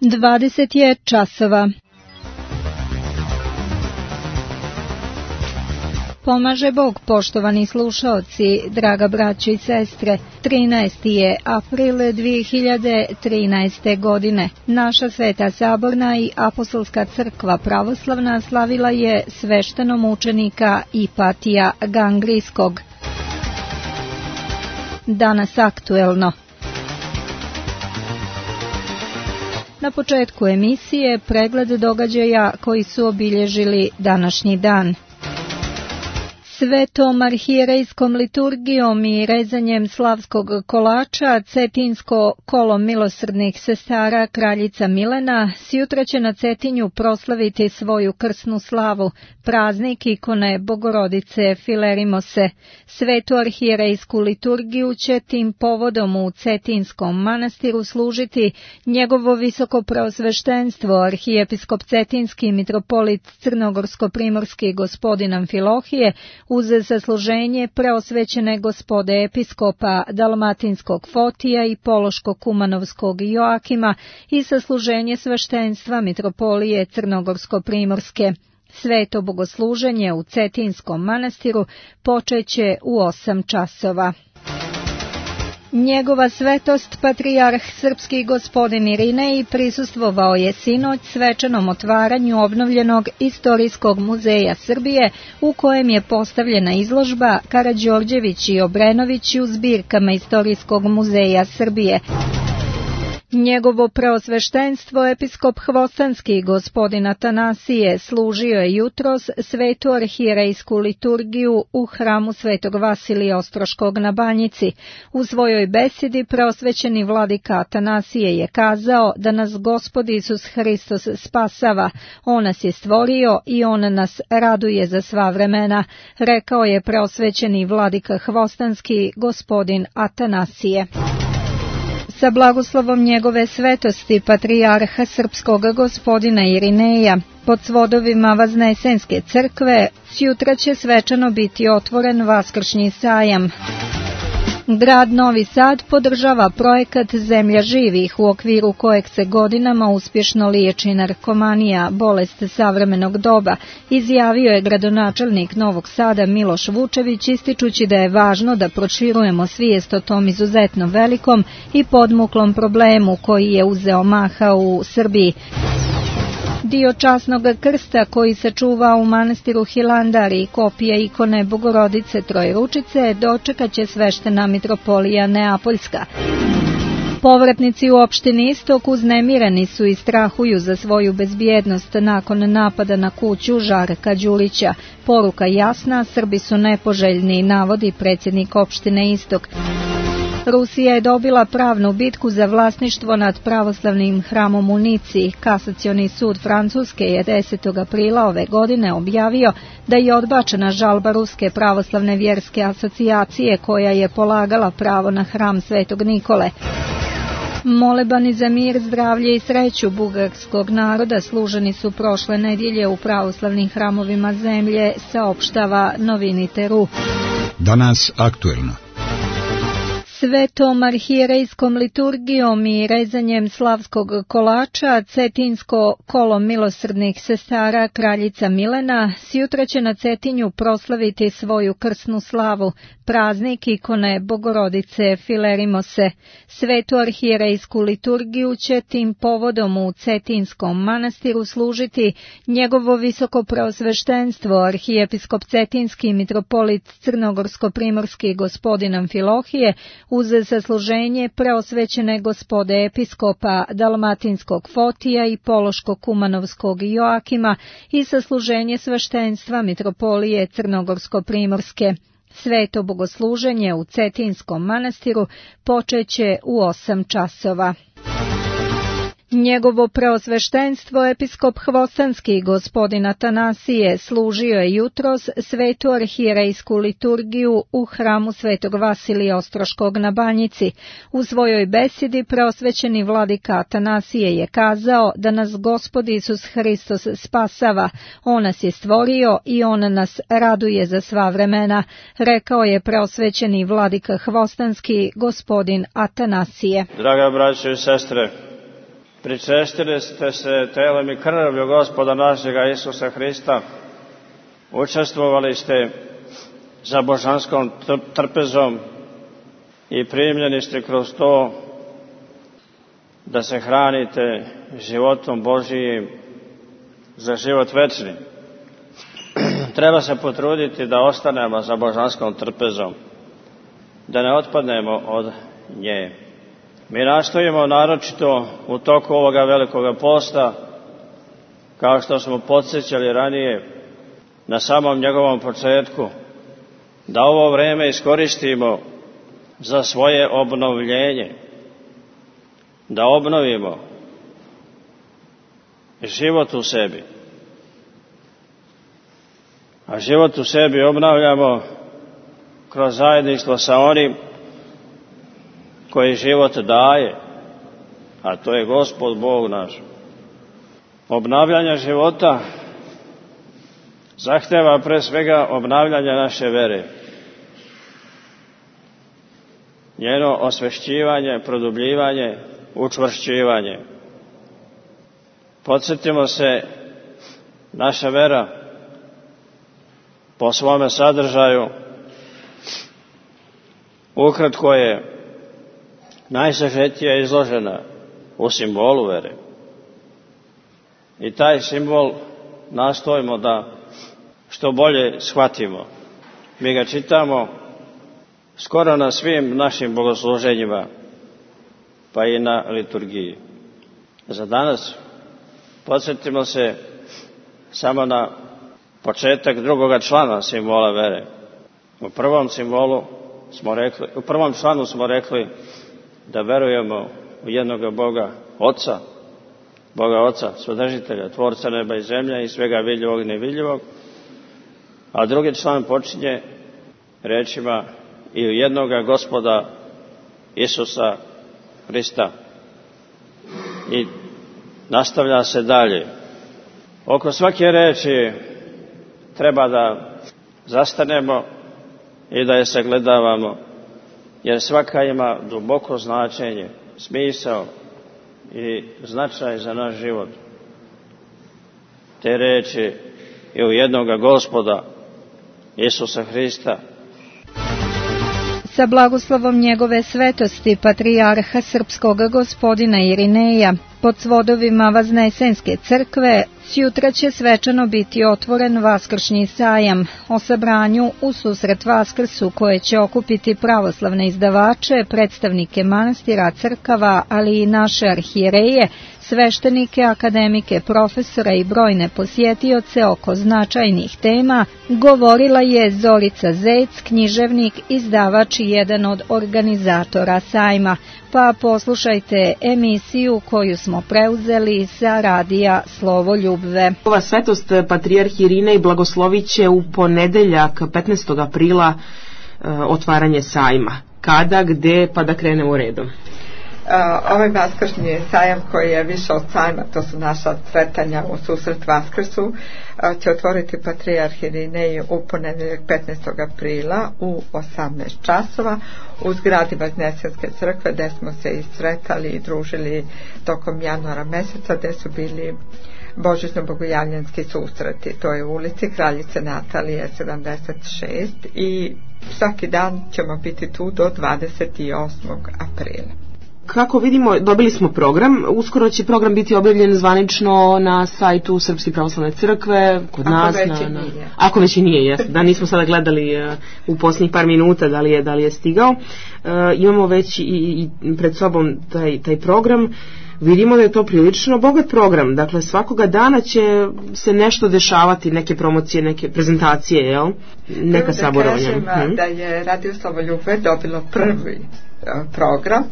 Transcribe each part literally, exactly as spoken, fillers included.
Dvadeset je časova. Pomaže Bog, poštovani slušaoci, draga braćo i sestre. trinaesti je april dvije hiljade trinaeste. godine. Naša Sveta Saborna i Apostolska crkva pravoslavna slavila je sveštenomučenika Ipatija Gangrijskog. Danas aktuelno. Na početku emisije pregled događaja koji su obilježili današnji dan. Svetom arhijerejskom liturgijom i rezanjem slavskog kolača Cetinsko kolo milosrdnih sestara kraljica Milena sjutra će na Cetinju proslaviti svoju krsnu slavu, praznik ikone Bogorodice Filerimose. Svetu arhijerejsku liturgiju će tim povodom u Cetinskom manastiru služiti njegovo visoko preosveštenstvo arhijepiskop Cetinski mitropolit Crnogorsko-primorski gospodin Amfilohije, uz zasluženje preosvećene gospode episkopa Dalmatinskog Fotija i Pološko-Kumanovskog Joakima i sasluženje sveštenstva mitropolije Crnogorsko-primorske. Sveto bogosluženje u Cetinskom manastiru počeće u osam časova. Njegova svetost patrijarh srpski gospodin Irinej prisustvovao je sinoć svečanom otvaranju obnovljenog Istorijskog muzeja Srbije, u kojem je postavljena izložba Karađorđević i Obrenović u zbirkama Istorijskog muzeja Srbije. Njegovo preosveštenstvo episkop Hvostanski gospodin Atanasije služio je jutros svetu arhijerejsku liturgiju u hramu Svetog Vasilija Ostroškog na Banjici. U svojoj besedi preosvećeni vladika Atanasije je kazao da nas Gospod Isus Hristos spasava, On nas je stvorio i On nas raduje za sva vremena, rekao je preosvećeni vladika Hvostanski gospodin Atanasije. Sa blagoslovom njegove svetosti patrijarha srpskog gospodina Irineja pod svodovima Vaznesenske crkve sjutra će svečano biti otvoren Vaskršnji sajam. Grad Novi Sad podržava projekat Zemlja živih, u okviru kojeg se godinama uspješno liječi narkomanija, bolest savremenog doba, izjavio je gradonačelnik Novog Sada Miloš Vučević, ističući da je važno da proširujemo svijest o tom izuzetno velikom i podmuklom problemu koji je uzeo maha u Srbiji. Dio časnog krsta koji se čuva u manastiru Hilandar i kopija ikone Bogorodice Trojručice dočekat će sveštena mitropolija Neapoljska. Povratnici u opštini Istok uznemireni su i strahuju za svoju bezbjednost nakon napada na kuću Žarka Đulića. Poruka jasna, Srbi su nepoželjni, navodi predsjednik opštine Istok. Rusija je dobila pravnu bitku za vlasništvo nad pravoslavnim hramom u Nici. Kasacioni sud Francuske je desetog aprila ove godine objavio da je odbačena žalba Ruske pravoslavne vjerske asocijacije koja je polagala pravo na hram Svetog Nikole. Molebani za mir, zdravlje i sreću bugarskog naroda služeni su prošle nedjelje u pravoslavnim hramovima zemlje, saopštava Novinite.ru. Danas aktuelno. Svetom arhijerejskom liturgijom i rezanjem slavskog kolača Cetinsko kolo milosrdnih sestara kraljica Milena sjutra će na Cetinju proslaviti svoju krsnu slavu, praznik ikone Bogorodice Filerimose. Svetu arhijerejsku liturgiju će tim povodom u Cetinskom manastiru služiti njegovo visoko preosveštenstvo arhijepiskop Cetinski mitropolit Crnogorsko-primorski gospodin Amfilohije, uz zasluženje preosvećene gospode episkopa Dalmatinskog Fotija i Pološko-Kumanovskog Joakima i sasluženje sveštenstva mitropolije Crnogorsko-primorske. Sveto bogosluženje u Cetinskom manastiru počeće u osam časova. Njegovo preosveštenstvo episkop Hvostanski gospodin Atanasije služio je jutros svetu arhijerejsku liturgiju u hramu Svetog Vasilija Ostroškog na Banjici. U svojoj besedi preosvećeni vladika Atanasije je kazao da nas Gospod Isus Hristos spasava, On nas je stvorio i On nas raduje za sva vremena, rekao je preosvećeni vladika Hvostanski gospodin Atanasije. Draga braćo i sestre, Pričestili ste se telom i krvlju Gospoda našega Isusa Hrista, učestvovali ste za božanskom trpezom i primljeni ste kroz to da se hranite životom Božijim za život večni. Treba se potruditi da ostanemo za božanskom trpezom, da ne otpadnemo od nje. Mi nastojimo naročito u toku ovoga velikoga posta, kao što smo podsjećali ranije na samom njegovom početku, da ovo vreme iskoristimo za svoje obnovljenje, da obnovimo život u sebi. A život u sebi obnavljamo kroz zajedništvo sa onim koji život daje, a to je Gospod Bog naš. Obnavljanje života zahteva pre svega obnavljanje naše vere, njeno osvešćivanje, produbljivanje, učvršćivanje. Podsjetimo se, naša vera po svome sadržaju ukratko je najsažetije izložena u simbolu vere. I taj simbol nastojimo da što bolje shvatimo. Mi ga čitamo skoro na svim našim bogosluženjima, pa i na liturgiji. Za danas podsjetimo se samo na početak drugoga člana simbola vere. U prvom simbolu smo rekli, u prvom članu smo rekli da verujemo u jednoga Boga Oca, Boga Oca, Svodržitelja, Tvorca neba i zemlje i svega vidljivog i nevidljivog. A drugi član počinje rečima i u jednoga Gospoda Isusa Hrista. I nastavlja se dalje. Oko svake reči treba da zastanemo i da je sagledavamo, jer svaka ima duboko značenje, smisao i značaj za naš život. Te reči i u jednoga Gospoda Isusa Hrista. Sa blagoslovom njegove svetosti patrijarha srpskog gospodina Irineja pod svodovima Vaznesenske crkve sjutra će svečano biti otvoren Vaskršnji sajam o sabranju u susret Vaskrsu koje će okupiti pravoslavne izdavače, predstavnike manastira, crkava, ali i naše arhijereje, sveštenike, akademike, profesora i brojne posjetioce oko značajnih tema, govorila je Zorica Zec, književnik, izdavač i jedan od organizatora sajma. Pa poslušajte emisiju koju smo preuzeli sa radija Slovo Ljubve. Ova svetost patrijarh Irinej blagoslovit će u ponedeljak petnaestog aprila otvaranje sajma. Kada, gde, pa da krenemo redom. Ovaj vaskršnji sajam koji je više od sajma, to su naša sretanja u susret Vaskrsu, će otvoriti patrijarh Irinej u ponedeljak petnaestog aprila u osamnaest časova u zgradi Vaznesenske crkve, gde smo se i sretali i družili tokom januara meseca, gde su bili božićno-bogojavljanski susreti. To je u ulici Kraljice Natalije sedamdeset šest i svaki dan ćemo biti tu do dvadeset osmog aprila. Kako vidimo, dobili smo program, uskoro će program biti objavljen zvanično na sajtu Srpske pravoslavne crkve, kod Ako nas. Već na, na, nije. Ako već i nije, jes, da nismo sada gledali uh, u posljednjih par minuta da li je, da li je stigao. Uh, imamo već i, i pred sobom taj, taj program. Vidimo da je to prilično bogat program, dakle svakoga dana će se nešto dešavati, neke promocije, neke prezentacije, jel? Neka saborovanja. Da kažem hmm. da je Radio Slovo Ljubve dobilo prvi uh, program.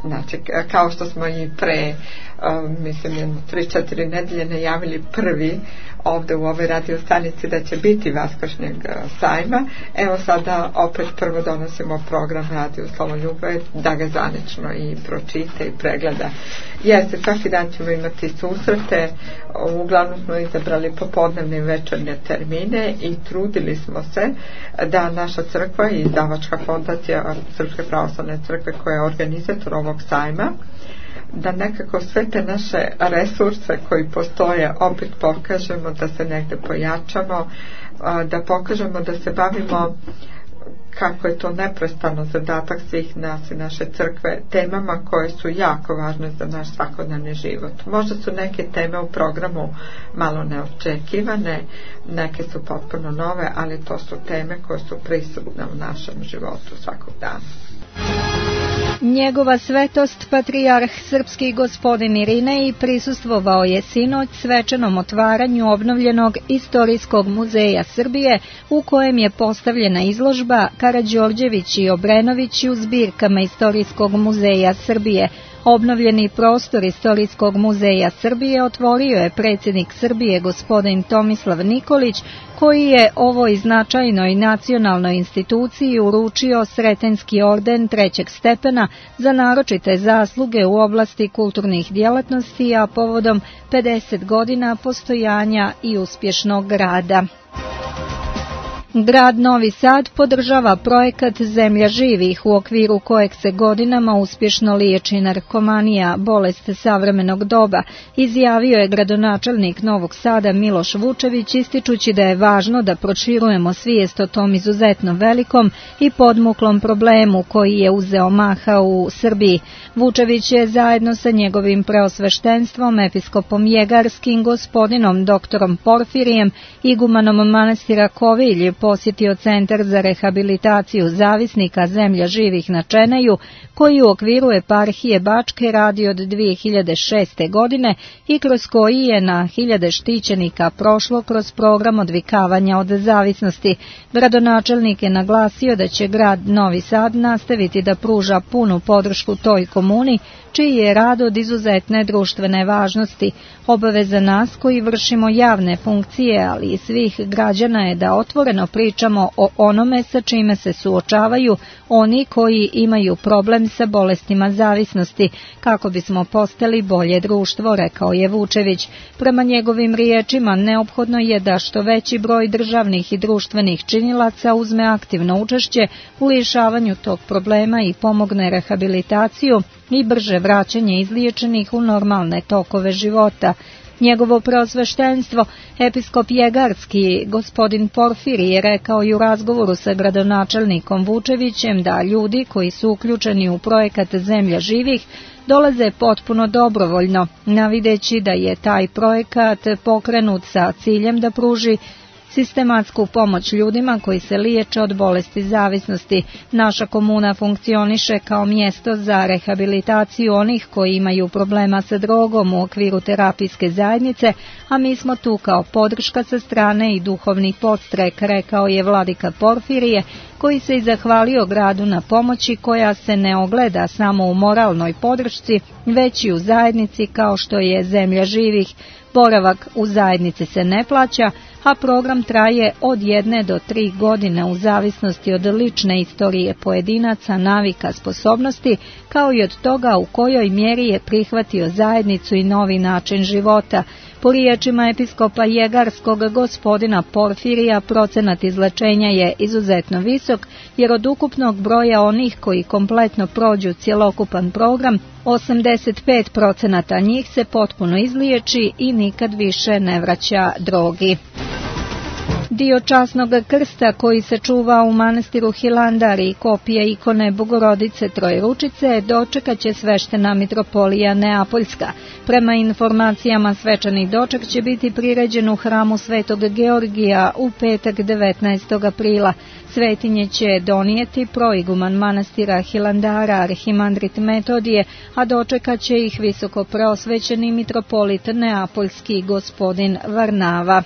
Znači, kao što smo i pre, uh, mislim, tri četiri nedelje najavili prvi ovdje u ovoj radio stanici da će biti Vaskršnjeg sajma, evo sada opet prvo donosimo program Radio Slovo Ljubve da ga zvanično i pročita i pregleda. Jeste, svaki dan ćemo imati susrete, uglavnom smo izabrali popodnevne i večernje termine i trudili smo se da naša crkva i izdavačka fondacija Srpske pravoslavne crkve koja je organizator ovog sajma da nekako sve te naše resurse koji postoje opet pokažemo, da se negde pojačamo, da pokažemo da se bavimo, kako je to neprestano zadatak svih nas i naše crkve, temama koje su jako važne za naš svakodnevni život. Možda su neke teme u programu malo neočekivane, neke su potpuno nove, ali to su teme koje su prisutne u našem životu svakog dana. Njegova svetost patrijarh srpski gospodin Irinej prisustvovao je sinoć svečanom otvaranju obnovljenog Istorijskog muzeja Srbije, u kojem je postavljena izložba Karađorđević i Obrenović u zbirkama Istorijskog muzeja Srbije. Obnovljeni prostor Istorijskog muzeja Srbije otvorio je predsjednik Srbije gospodin Tomislav Nikolić, koji je ovoj značajnoj nacionalnoj instituciji uručio Sretenski orden trećeg stepena za naročite zasluge u oblasti kulturnih djelatnosti, a povodom pedeset godina postojanja i uspješnog rada. Grad Novi Sad podržava projekat Zemlja živih, u okviru kojeg se godinama uspješno liječi narkomanija, bolest savremenog doba, izjavio je gradonačelnik Novog Sada Miloš Vučević, ističući da je važno da proširujemo svijest o tom izuzetno velikom i podmuklom problemu koji je uzeo maha u Srbiji. Vučević je zajedno sa njegovim preosveštenstvom, episkopom Jegarskim, gospodinom doktorom Porfirijem, igumanom manastira Kovilj, posjetio Centar za rehabilitaciju zavisnika Zemlja živih na Čeneju, koji u okviru eparhije Bačke radi od dvije hiljade šeste. godine i kroz koji je na hiljade štićenika prošlo kroz program odvikavanja od zavisnosti. Gradonačelnik je naglasio da će grad Novi Sad nastaviti da pruža punu podršku toj komuni, čiji je rad od izuzetne društvene važnosti. Obaveza nas koji vršimo javne funkcije, ali i svih građana, je da otvoreno pričamo o onome sa čime se suočavaju oni koji imaju problem sa bolestima zavisnosti, kako bismo postali bolje društvo, rekao je Vučević. Prema njegovim riječima, neophodno je da što veći broj državnih i društvenih činilaca uzme aktivno učešće u rješavanju tog problema i pomogne rehabilitaciju i brže vraćanje izliječenih u normalne tokove života. Njegovo preosveštenstvo, episkop Jegarski, gospodin Porfiri, je rekao i u razgovoru sa gradonačelnikom Vučevićem da ljudi koji su uključeni u projekat Zemlja živih dolaze potpuno dobrovoljno, navideći da je taj projekat pokrenut sa ciljem da pruži sistematsku pomoć ljudima koji se liječe od bolesti zavisnosti. Naša komuna funkcioniše kao mjesto za rehabilitaciju onih koji imaju problema sa drogom u okviru terapijske zajednice, a mi smo tu kao podrška sa strane i duhovni podstrek, rekao je vladika Porfirije, koji se i zahvalio gradu na pomoći koja se ne ogleda samo u moralnoj podršci, već i u zajednici kao što je Zemlja živih. Boravak u zajednici se ne plaća, a program traje od jedne do tri godine u zavisnosti od lične istorije pojedinaca, navika, sposobnosti, kao i od toga u kojoj mjeri je prihvatio zajednicu i novi način života. Po riječima episkopa Jegarskog gospodina Porfirija, procenat izlečenja je izuzetno visok, jer od ukupnog broja onih koji kompletno prođu cjelokupan program, osamdeset pet procenata njih se potpuno izliječi i nikad više ne vraća drogi. Dio časnog krsta koji se čuva u manastiru Hilandar i kopija ikone Bogorodice Trojeručice dočekat će sveštena mitropolija Neapoljska. Prema informacijama, svečani doček će biti priređen u hramu Svetog Georgija u petak devetnaestog aprila. Svetinje će donijeti proiguman manastira Hilandara arhimandrit Metodije, a dočekat će ih visoko preosvećeni mitropolit Neapoljski gospodin Varnava.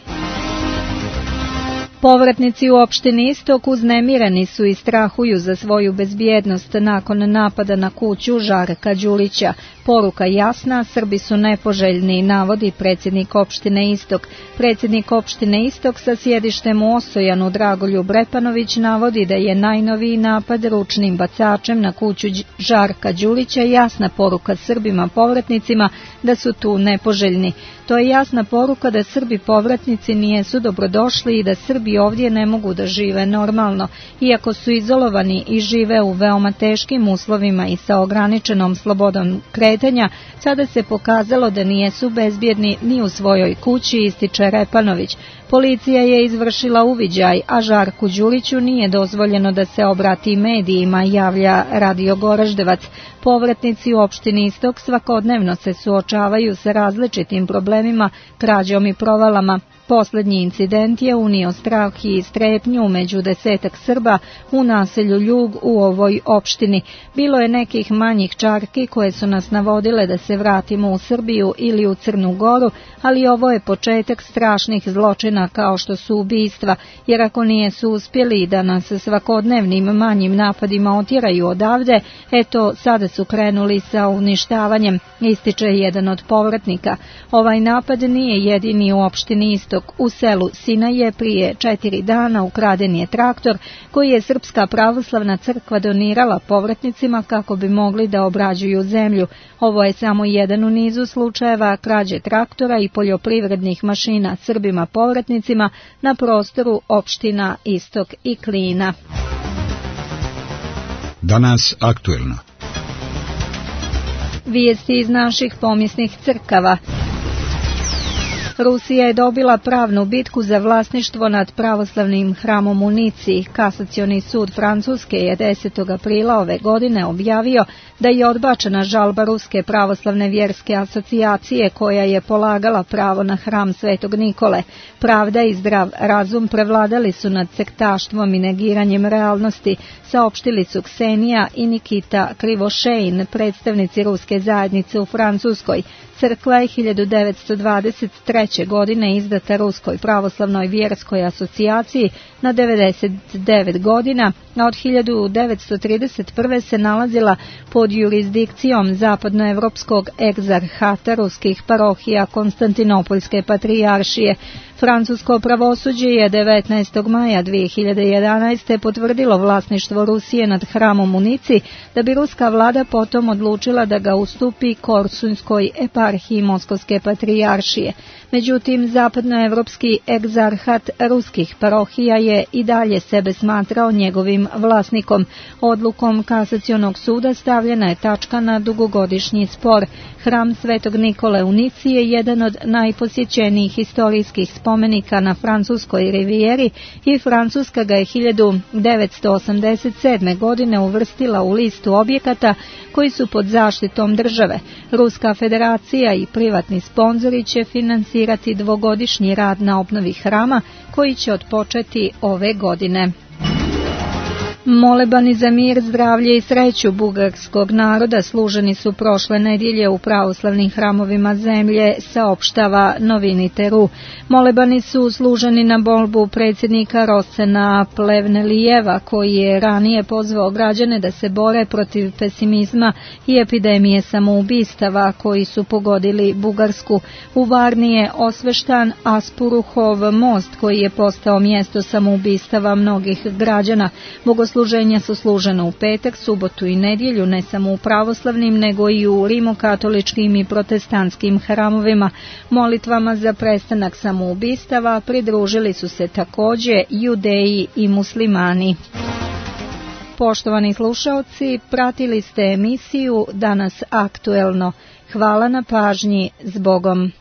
Povratnici u opštini Istok uznemireni su i strahuju za svoju bezbjednost nakon napada na kuću Žarka Đulića. Poruka jasna, Srbi su nepoželjni, navodi predsjednik opštine Istok. Predsjednik opštine Istok sa sjedištem u Osojanu Dragoljub Repanović navodi da je najnoviji napad ručnim bacačem na kuću Žarka Đulića jasna poruka Srbima povratnicima da su tu nepoželjni. To je jasna poruka da Srbi povratnici nijesu dobrodošli i da Srbi koji ovdje ne mogu da žive normalno, iako su izolovani i žive u veoma teškim uslovima i sa ograničenom slobodom kretanja, sada se pokazalo da nijesu bezbjedni ni u svojoj kući, ističe Repanović. Policija je izvršila uviđaj, a Žarku Đuriću nije dozvoljeno da se obrati medijima, javlja Radio Goraždevac. Povratnici u opštini Istok svakodnevno se suočavaju sa različitim problemima, krađom i provalama. Poslednji incident je unio strah i strepnju među desetak Srba u naselju Ljug u ovoj opštini. Bilo je nekih manjih čarki koje su nas navodile da se vratimo u Srbiju ili u Crnu Goru, ali ovo je početak strašnih zločina kao što su ubistva, jer ako nije su uspjeli da nas svakodnevnim manjim napadima otjeraju odavde, eto sada su krenuli sa uništavanjem, ističe jedan od povratnika. Ovaj napad nije jedini u opštini Istok. U selu Sinaje prije četiri dana ukraden je traktor koji je Srpska pravoslavna crkva donirala povratnicima kako bi mogli da obrađuju zemlju. Ovo je samo jedan u nizu slučajeva krađe traktora i poljoprivrednih mašina Srbima povratnicima na prostoru opština Istok i Klina. Danas aktuelno. Vijesti iz naših pomisnih crkava. Rusija je dobila pravnu bitku za vlasništvo nad pravoslavnim hramom u Nici. Kasacioni sud Francuske je desetog aprila ove godine objavio da je odbačena žalba Ruske pravoslavne vjerske asocijacije koja je polagala pravo na hram Svetog Nikole. Pravda i zdrav razum prevladali su nad sektaštvom i negiranjem realnosti, saopštili su Ksenija i Nikita Krivošejn, predstavnici ruske zajednice u Francuskoj. Crkva je hiljadu devetsto dvadeset treće. godine izdata Ruskoj pravoslavnoj vjerskoj asocijaciji na devedeset devet godina, a od hiljadu devetsto trideset prve. se nalazila pod jurisdikcijom zapadnoevropskog egzarhata ruskih parohija Konstantinopoljske patrijaršije. Francusko pravosuđe je devetnaestog maja dvije hiljade jedanaeste. potvrdilo vlasništvo Rusije nad hramom u Nici, da bi ruska vlada potom odlučila da ga ustupi Korsunskoj eparhiji Moskovske patrijaršije. Međutim, zapadnoevropski egzarhat ruskih parohija je i dalje sebe smatrao njegovim vlasnikom. Odlukom Kasacionog suda stavljena je tačka na dugogodišnji spor. Hram Svetog Nikole u Nici je jedan od najposjećenijih historijskih spomenika na francuskoj rivijeri i Francuska ga je hiljadu devetsto osamdeset sedme. godine uvrstila u listu objekata koji su pod zaštitom države. Ruska federacija i privatni sponzori će finansirati dvogodišnji rad na obnovi hrama koji će otpočeti ove godine. Molebani za mir, zdravlje i sreću bugarskog naroda služeni su prošle nedjelje u pravoslavnim hramovima zemlje, saopštava Novini.ru. Molebani su služeni na molbu predsjednika Rosena Plevnelijeva, koji je ranije pozvao građane da se bore protiv pesimizma i epidemije samoubistava koji su pogodili Bugarsku. U Varni je osveštan Aspuruhov most koji je postao mjesto samoubistava mnogih građana. Bogosluženja su služena u petak, subotu i nedjelju, ne samo u pravoslavnim, nego i u rimokatoličkim i protestantskim hramovima. Molitvama za prestanak samoubistava pridružili su se također Judeji i muslimani. Poštovani slušaoci, pratili ste emisiju Danas aktuelno. Hvala na pažnji, s Bogom.